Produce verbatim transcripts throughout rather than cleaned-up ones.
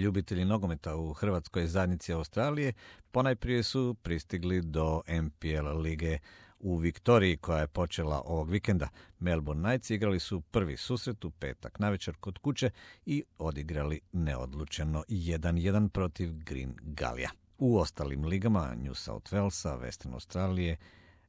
ljubitelji nogometa u Hrvatskoj zajednici Australije ponajprije su pristigli do N P L lige u Viktoriji koja je počela ovog vikenda. Melbourne Knights igrali su prvi susret u petak navečer kod kuće i odigrali neodlučeno jedan jedan protiv Green Gallija. U ostalim ligama New South Walesa, Western Australije,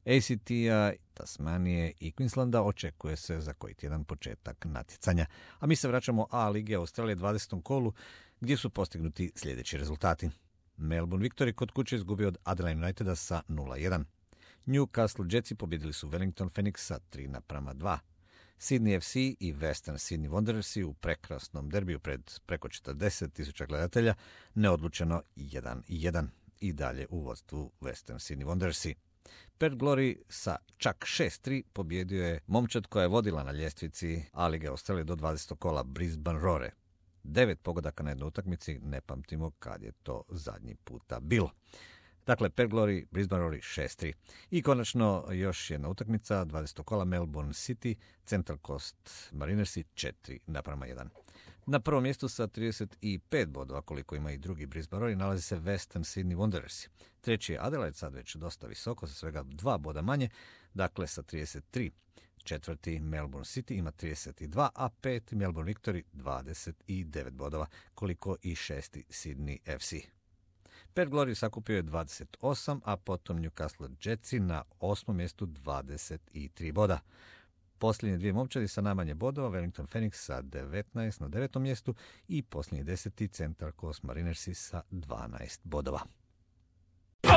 A C T-a, Tasmanije i Queenslanda očekuje se za koji tjedan početak natjecanja. A mi se vraćamo A lige Australije dvadesetom kolu gdje su postignuti sljedeći rezultati. Melbourne Victory kod kuće izgubio od Adelaide Uniteda sa nula jedan. Newcastle Jetsi pobjedili su Wellington Phoenix sa tri naprama dva. Sydney F C i Western Sydney Wanderersi u prekrasnom derbiju pred preko četrdeset tisuća gledatelja neodlučeno jedan jedan i dalje u vodstvu Western Sydney Wanderersi. Perth Glory sa čak šest tri pobjedio je momčad koja je vodila na ljestvici A lige Australije do dvadesetog kola Brisbane Roar. Devet pogodaka na jednoj utakmici, ne pamtimo kad je to zadnji puta bilo. Dakle, Perth Glory, Brisbane Roar šest tri. I konačno još jedna utakmica, dvadesetog kola Melbourne City, Central Coast Marinersi četiri naprama jedan. Na prvom mjestu sa trideset pet bodova, koliko ima i drugi Brisbane Roar, nalazi se Western Sydney Wanderersi. Treći je Adelaide, sad već dosta visoko, sa svega dva boda manje, dakle sa trideset tri. Četvrti Melbourne City ima trideset dva, a peti Melbourne Victory dvadeset devet bodova, koliko i šesti Sydney F C. Perth Glory sakupio je dvadeset osam, a potom Newcastle Jetsi na osmom mjestu dvadeset tri boda. Posljednje dvije momčadi sa najmanje bodova, Wellington Phoenix sa devetnaest na devetom mjestu i posljednji deseti Central Coast Marinersi sa dvanaest bodova. Oh!